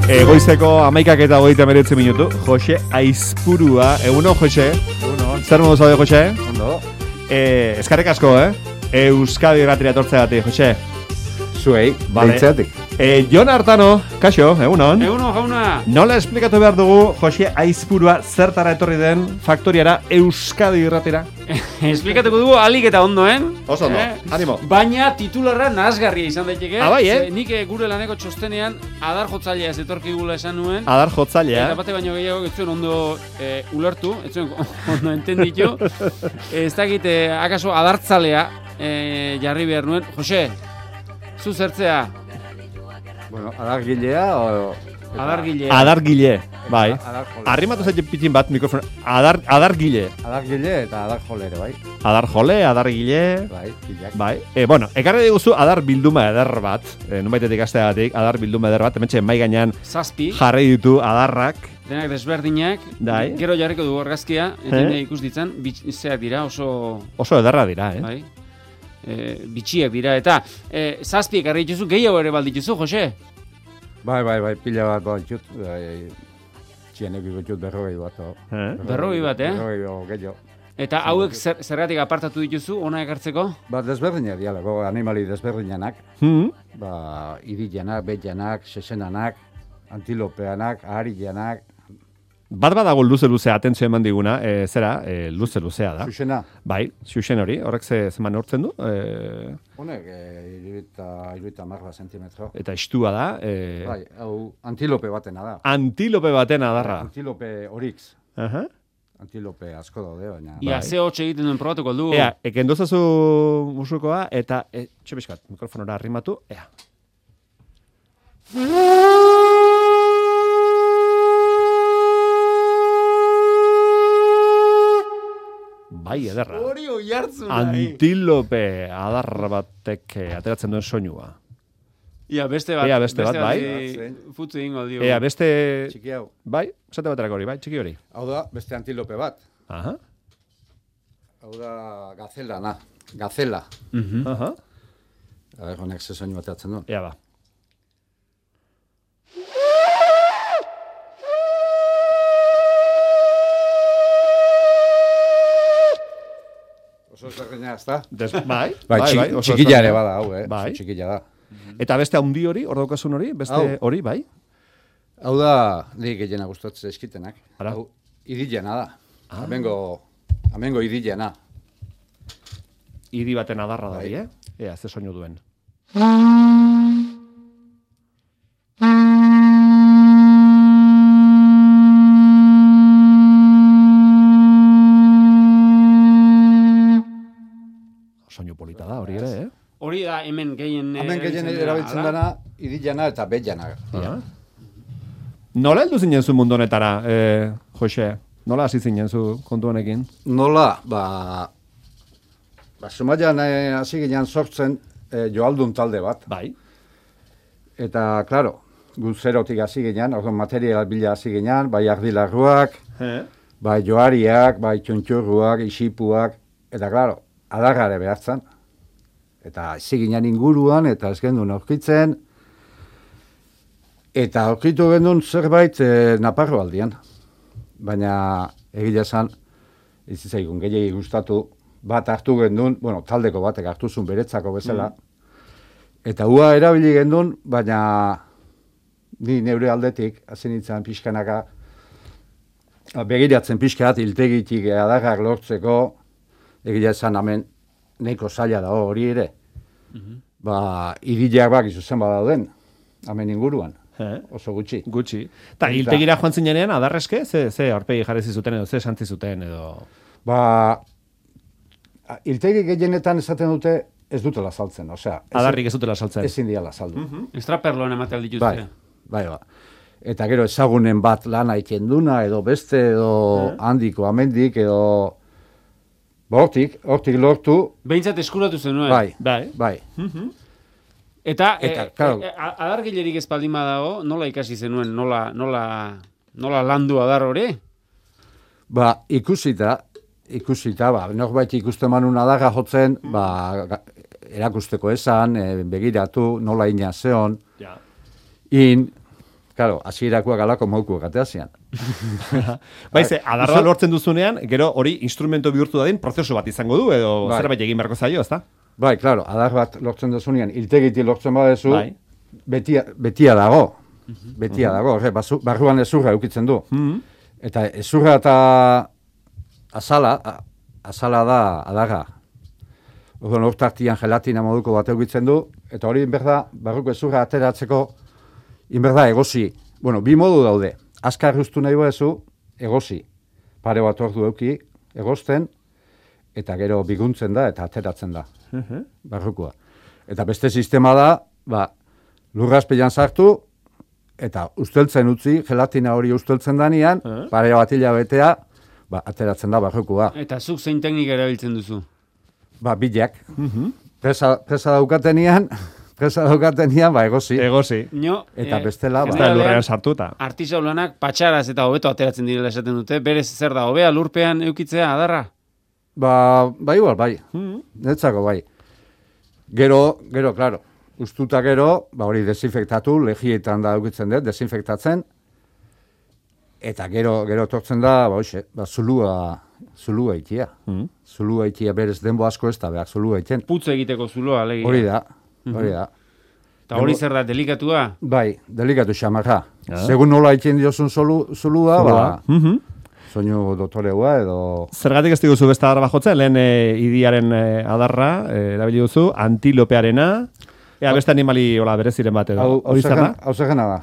Goizeko 11:29 minutu. Jose Aizpurua. Egunon, Jose. Egunon. Zer modu zaude, Jose? Ondo. Eskarrik asko, Euskadi irratira etortzeagatik, Jose. Zuei, baitzeatik. Jon Artano, kaixo, egunon. Egunon, jauna. Nola esplikatu behar dugu Jose Aizpurua zertara etorri den faktoriara Euskadi irratira? Esplikatuko dugu alik eta ondoen. Oso ondo, animo. Baina titularra nahasgarria izan daiteke. Bai, Nik gure laneko txostenean adar jotzailea zetorkigula esan nuen. Adar jotzailea. Eta bate baino gehiago ez zuen ondo ulertu, ez zuen ondo entenditu. Ez dakit, akaso adartzalea jarri behar nuen. Jose, zu zertzea? Bueno, adargilea o... Adargile. Adargile, bai. Adarjole. Arrimatu zaite pitin bat mikrofon. Adargile. Adargile eta adarjolere, bai. Adarjole, adargile. Bai, pilak. Bai. Bueno, ekarri diguzu adar bilduma eder bat. Nunbaitetik asteagatik adar bilduma eder bat. Hementxe mai gainean Zazpi. jarri ditu adarrak. Denak desberdinak. Bai. Gero jarriko dugu argazkia. Eta ikus ditzan, zeak dira oso... Oso ederra dira, Bai. Bitxiak dira, eta zazpi ekarri dituzu, gehiago ere baldituzu, Jose? Bai, pila bat ditut. Txienek ditut 40 bat. 40 bat, 40 gehiago. Eta hauek zergatik apartatu dituzu, ona ekartzeko? Ba, desberdinak dialako, animali desberdinanak. Ba, iridianak, betianak, sesenanak, antilopeanak, aharianak. Bat badago luze-luzea atentzio eman diguna, luze-luzea da. Xuxena. Bai, xuxen hori, horrek zeman neurtzen du. Honek, iruita marra sentimetro. Eta istua da. Bai, hau antilope batena da. Antilope baten adarra. Antilope orix. Aha. Antilope asko daude, baina... Ia, ze hotxe egiten duen probatuko dugu. Ea, kendozazu musukoa, eta, txepiskat, mikrofonora arrimatu, ea. Bai, ederra. Hori hoi hartzun. Antilope adarra batek ateratzen duen soinua. Ia, beste bat. Ea, beste bat, bai. Futzu egingo dio. Ea, beste... Txiki hau. Bai, esate baterako hori, bai, txiki hori. Hau da, beste antilope bat. Aha. Hau da gazela, Gazela. Aha. Honek ze soinu ateratzen duen. Ea, ba. Oso zerreina, ez da? Bai, oso txikila ere bada, hau, Bai. Oso txikila da. Eta beste handi hori, hor daukasun hori, beste hori, bai? Hau da, nik gehiena gustatzen eskitenak. Ara. Hau, idilena da. Amengo idilena. Idi baten adarra da, Bai. Ea, ze soinu duen. Soinu polita da, hori ere, Hori da hemen gehien... Hemen gehien erabiltzen dana, idilena eta betjana. Nola heldu zinen zu mundu honetara, Jose? Nola hasi zinen zu kontu honekin? Nola, Zumaian hasi ginen sortzen joaldun talde bat. Bai. Eta, klaro, gu zerotik hasi ginen, orduan material bila hasi ginen, bai ardilarruak, bai joariak, bai txuntxurruak, isipuak, eta, klaro, adarrare behartzen. Eta hasi ginen inguruan, eta ez gendun aurkitzen, eta aurkitu gendun zerbait Naparro aldian. Baina, egia esan, ez zaigun gehiagi gustatu, bat hartu gendun, bueno, taldeko batek hartu zuen beretzako bezala, eta hua erabili gendun, baina ni neure aldetik, hasi nintzen pixkanaka, begiratzen pixkat, hiltegitik adarrak lortzeko, egia esan hemen nahiko zaila da hori ere. Irileak bak izuzen badauden, hemen inguruan. Oso gutxi. Gutxi. Eta hiltegira joan zinenean, adarrezke? Ze aurpegi jarri zuten edo, ze santzi zuten edo... Hiltegi gehienetan esaten dute ez dutela saltzen, osea... Adarrik ez dutela saltzen. Ezin diala saldu. Estraperloan emate aldituzte. Bai. Eta gero ezagunen bat lana ikenduna, edo beste, edo handiko, amendik, edo... Hortik lortu... Behintzat eskuratu zenuen. Bai. Eta claro. Adargilerik ez baldin badago, nola ikasi zenuen, nola landu adar hori? Ikusita, norbait ikusten manun adarra jotzen, erakusteko esan, begiratu, nola ina zeon, in, claro, hasierakoak alako maukuak ateazian. Baize, adarra lortzen duzunean, gero hori instrumento bihurtu dadin prozesu bat izango du, edo zerbait egin beharko zaio, ezta? Bai, claro, adar bat lortzen duzunean, iltegiti lortzen badezu, Bai. betia dago. Betia dago, barruan ezurra eukitzen du. Eta ezurra eta azala da adarra. Orduan hortartian gelatina moduko bat eukitzen du, eta hori inberda, barruko ezurra ateratzeko, inberda egosi. Bueno, bi modu daude. Azkar ustu nahi badezu, egosi. Pare bat ordu euki, egosten, eta gero biguntzen da, eta ateratzen da. Barrukoa. Eta beste sistema da, lurrazpilan sartu, eta usteltzen utzi, gelatina hori usteltzen danean, pare bat hilabetea, ateratzen da barrukoa. Eta zuk zein teknika erabiltzen duzu? Bilak. Presa daukatenean, egosi. Egosi. Eta bestela, ez da lurrean sartuta. Artisau lanak patxaraz eta hobeto ateratzen direla esaten dute. Berez zer da, hobea lurpean eukitzea adarra? Igual, bai. Netzako, bai. Gero, claro, ustuta gero, hori desinfektatu, lehietan da eukitzen dut, desinfektatzen, eta gero tortzen da, zulua itia. Zulua itia berez denbo asko ez da behar zulua itien. Putz egiteko zuloa, alegia. Hori da. Eta hori zer da, delikatua? Bai, delikatu xamarra. Segun nola itien diozun zulua, soinu dotoreua edo... Zergatik ez diguzu beste adarra jotzen, lehen idiaren adarra, erabili duzu, antilopearena, beste animali bereziren bat edo. Hau zergena da.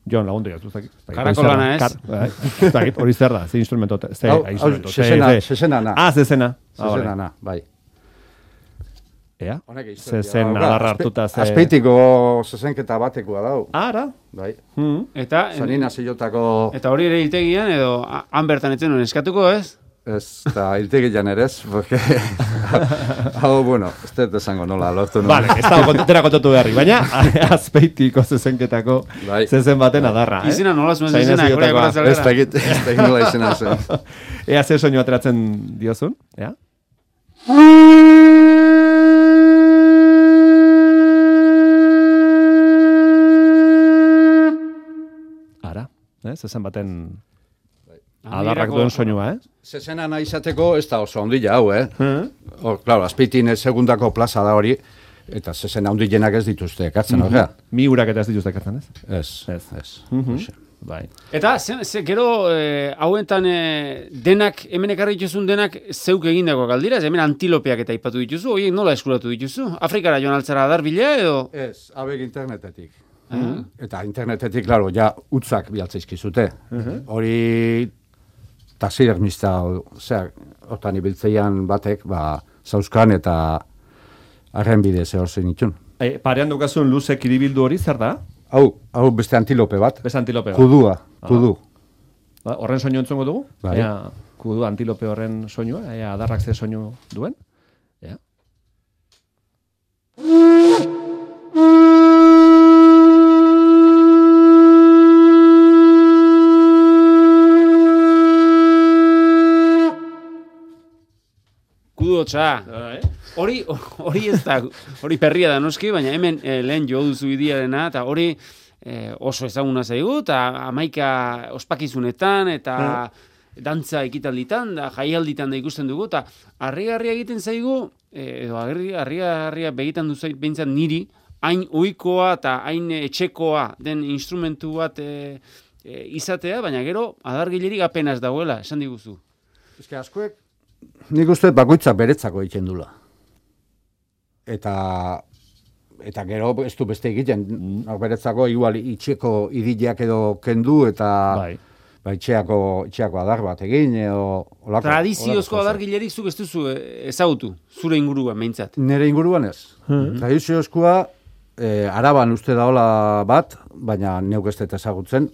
Jon, lagundu jaztu, zakit. Karakolana ez? Zakit, hori zer da, ze instrumento. Zezena. Zezena. Zezena, bai. Ea? Zezen adarra hartuta ze... Azpeitiko zezenketa batekoa dau. Ara? Bai. Eta... Zanina zilotako... Eta hori ere hiltegian edo han bertan etzen nuen eskatuko ez? Ez, eta hiltegian ere ez, porque... Hau, bueno, ez dut esango nola, lortu nuen. Vale, ez dago kontutera kontatu beharri, baina azpeitiko zezenketako zezen baten adarra. Izena nola zuen zezena, korea korazalera. Ez da nola izena zen. Ea ze soinu ateratzen diozun, ea? Ara, zezen baten... Adarrak duen soinua, Zezena nahi izateko ez da oso ondila hau, Claro, azpeitin segundako plaza da hori, eta zezena ondilenak ez dituzte ekartzen, horrea. Mi urak eta ez dituzte ekartzen, ez? Ez. Bai. Eta, gero, hauentan denak, hemen ekarri dituzun denak zeuk egindako galdira, hemen antilopeak eta ipatu dituzu, horiek nola eskuratu dituzu? Afrikara joan altzara adarbila edo? Ez, abek internetetik. Eta internetetik, klaro, ja utzak bialtzaizkizute. Hori... taxidermista, hortan ibiltzeian batek, zauzkan eta arren bidez hor zen itxun. Parean dukazun luze kiribildu hori, zer da? Hau beste antilope bat. Beste antilope bat. Kudu. Horren soinu entzungo dugu? Bai. Kudu antilope horren soinua, adarrak ze soinu duen? Hori ez da, hori perria da noski, baina hemen lehen jo duzu idiarena, eta hori oso ezaguna zaigu, eta 11 ospakizunetan, eta dantza ekitalditan, da jaialditan da ikusten dugu, eta harrigarria egiten zaigu, edo harrigarria begitan duzu behintzat niri, hain ohikoa eta hain etxekoa den instrumentu bat izatea, baina gero adargilerik apenas dagoela, esan diguzu. Eske askoek nik uste bakoitza beretzako egiten dula. Eta gero ez du beste egiten, beretzako igual itxeko idileak edo kendu eta itxeako adar bat egin edo olako. Tradiziozko adargilerik zuk ez duzu ezagutu, zure inguruan behintzat. Nire inguruan ez. Tradiziozkoa Araban uste daola bat, baina neuk ez dut ezagutzen,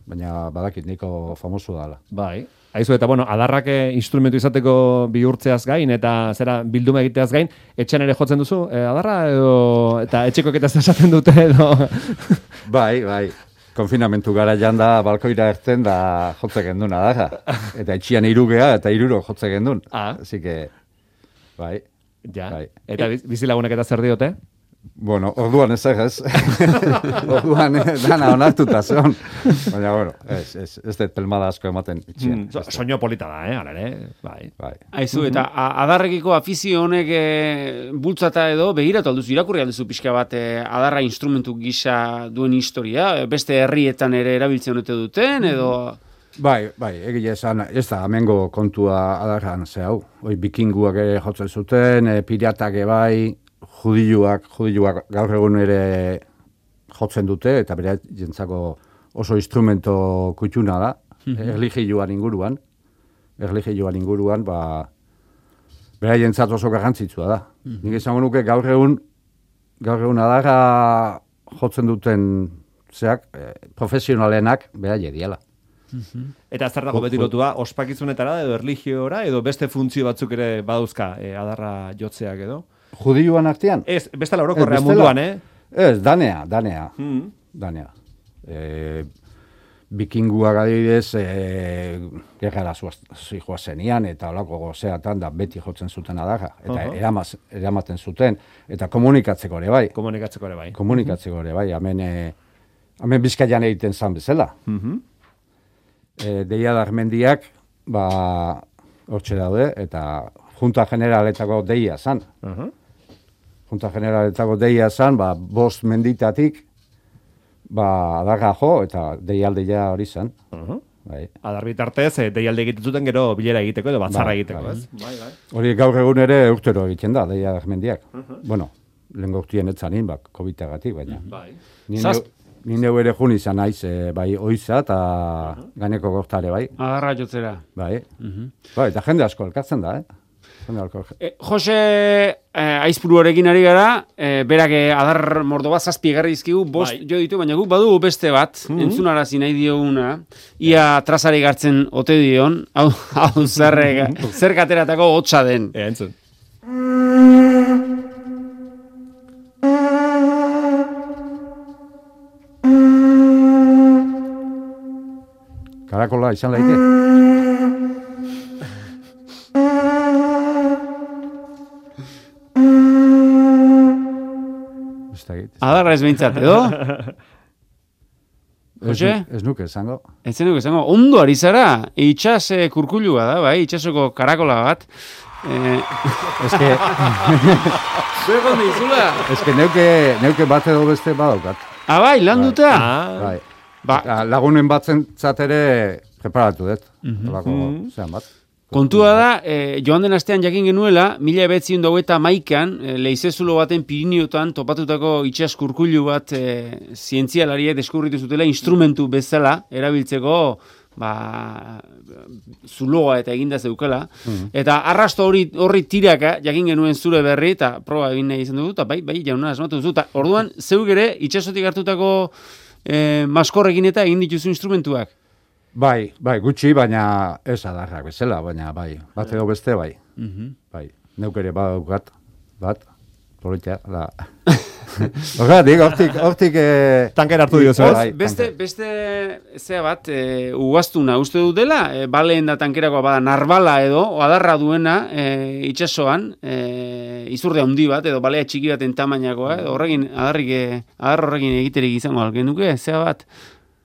baina badakit niko famoso dala. Bai. Aizu, eta adarrak instrumentu izateko bihurtzeaz gain, eta zera bilduma egiteaz gain, etxean ere jotzen duzu, adarra, edo, eta etxekoak eta esaten dute, edo... Bai. Konfinamentu gara da balkoira ertzen da jotze gendun adarra. Eta etxian 3 eta 3 jotze gendun. Así que, bai. Ja. Bai. Eta bizilagunek eta zer diote? Bueno, orduan ez ez. Orduan dana onartuta zeon. Baina, bueno, ez dut pelmada asko ematen. Soño polita da, hala ere. Bai. Aizu, eta adarrekiko afizio honek bultzata edo, begiratu alduzu, irakurri alduzu pixka bat adarra instrumentu gisa duen historia, beste herrietan ere erabiltzen dute duten, edo... Bai, egia esan, ez da, amengo kontua adarran ze hau. Bikinguak ere jotzen zuten, piratak bai, judiluak gaur egun ere jotzen dute, eta bere jentzako oso instrumento kutxuna da, erligioan inguruan, bere jentzat oso garrantzitsua da. Nik izango nuke gaur egun adarra jotzen duten zeak, profesionalenak bere diala. Eta zer dago beti lotua, ospakizunetara edo erligiora edo beste funtzio batzuk ere badauzka adarra jotzeak edo? Judioan artean? Ez, bestela orokorrea munduan, Ez, danea. Bikinguak adibidez, gerrara zijoa zenian, eta olako gozeatan da beti jotzen zuten adarra. Eta eramaten zuten, eta komunikatzeko ere bai. Komunikatzeko ere bai, hemen Bizkaian egiten zan bezala. Deia Darmendiak, hortxe daude, eta Junta Generaletako deia zan. Junta Generaletako deia zan, 5 menditatik, adarra jo, eta deialdeia hori zan. Adar bitartez, deialde egiten zuten gero bilera egiteko edo batzarra egiteko, ez? Hori gaur egun ere urtero egiten da, deia Darmendiak. Bueno, lehen gaurtien etzanin, COVID-agatik, baina. Ni neu ere jun izan naiz, bai oiza eta gaineko gortare, bai. Adarra jotzera. Bai, eta jende asko elkartzen da, Jose Aizpuruarekin ari gara, berak adar mordo bat 7 egarri dizkigu, 5 jo ditu, baina guk badugu beste bat, entzunarazi nahi dioguna, ia trazari gartzen ote dion, hau zer kateratako hotza den. Entzun. Karakola izan laite. Adarra ez behintzat, edo? Jose? Ez nuke esango. Ez nuke esango. Ondo ari zara, itxas kurkulua da, bai, itxasoko karakola bat. Eske... Zuegon dizula? Eske neuke bat edo beste badaukat. Bai, landuta? Bai. Lagunen batzat ere preparatu dut. Zean bat. Kontua da, joan den astean jakin genuela, 1921an, leizezulo baten Piriniotan topatutako itxas kurkulu bat zientzialariek deskubritu zutela instrumentu bezala erabiltzeko zuloa eta eginda zeukela. Eta arrasto horri tiraka jakin genuen zure berri, eta proba egin nahi izan dugu, eta bai, jauna asmatu duzu. Orduan, zeuk ere, itxasotik hartutako maskorrekin eta egin dituzu instrumentuak. Bai, gutxi, baina ez adarrak bezala, baina bai, bat edo beste bai. Bai, neuk ere badaukat, politia, da. Hortik... Tanker hartu diozu, ez? Beste zea bat, ugaztuna uste dut dela, baleen da tankerakoa bada narbala edo, adarra duena itxasoan, izurde handi bat, edo balea txiki baten tamainakoa, adar horrekin egiterik izango algen duke, zea bat.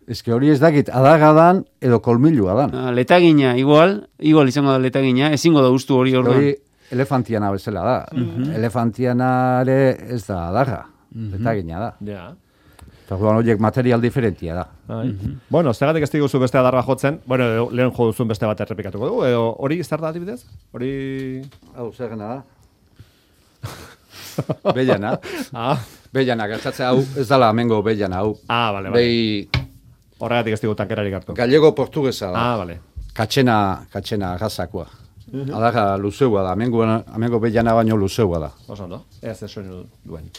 Ez que hori ez dakit, adaga dan edo kolmilua dan. Letagina, igual izango da letagina, ezingo da ustu hori orduan. Hori elefantiana bezala da. Elefantianare ez da adaga, letagina da. Ja. Eta horiek material diferentia da. Bueno, zergatik ez diguzu beste adarra jotzen, bueno, lehen jo duzun beste bat errepikatuko dugu, edo hori zer da adibidez? Hori... Hau, zer gana da? Bellana. Bellana, gertatzea hau, ez dala amengo bellana hau. Vale. Horregatik ez digu tankerarik hartu. Gallego portuguesa da. Vale. Katxena gazakoa. Adarra luzeua da, amengo bellana baino luzeua da. Oso ondo, ez soinu duen.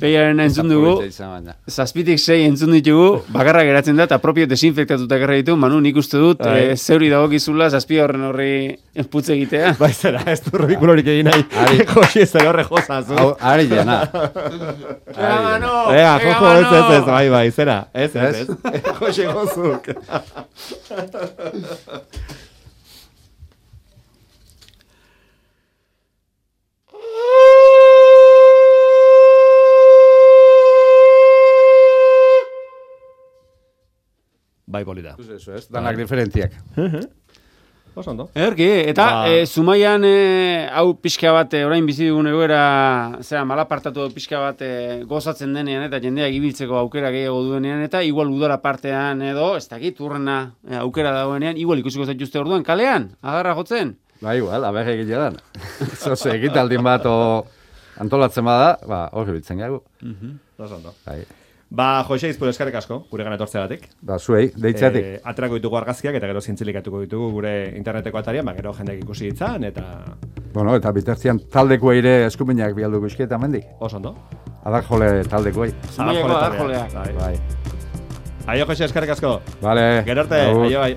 6aren entzun dugu. Zazpitik 6 entzun ditugu, bakarra geratzen da, eta propio desinfektatuta gerra ditu, Manu, nik uste dut, zeuri dagokizula zazpi horri putz egitea. Bai, zera, ez du ridikulorik egin nahi. Josi ez zera horre jozazu. Ari jana. Manu! Jojo, ez, bai, zera. Ez. Josi gozuk. Bai, polita. Eso es, danak diferentziak. Oso ondo. Erki, eta Zumaian hau pixka bat, orain bizi dugun egoera, malapartatu pixka bat gozatzen denean, eta jendeak ibiltzeko aukera gehiago duenean, eta igual udara partean edo, ez dakit, urrena aukera dagoenean, igual ikusiko zaituzte orduan, kalean, agarra jotzen. Ba, igual, aberre egilean. Zoze, egitaldin bat antolatzen bada, hori biltzen gagu. Oso ondo. Bai. Ba, Jose Izpur eskarrik asko, gure gana etortzeagatik. Ba, zuei, deitzatik. Aterako ditugu argazkiak eta gero zintzilikatuko ditugu gure interneteko atarian, gero jendeak ikusi ditzan, eta... Bueno, eta bitartzian taldeko ere eskuminak bialduko iski eta mendik. Oso ondo. Adarjole taldeko Zumaiako adarjoleak. Bai. Aio, Jose, eskarrik asko. Vale. Gero arte, aio, bai.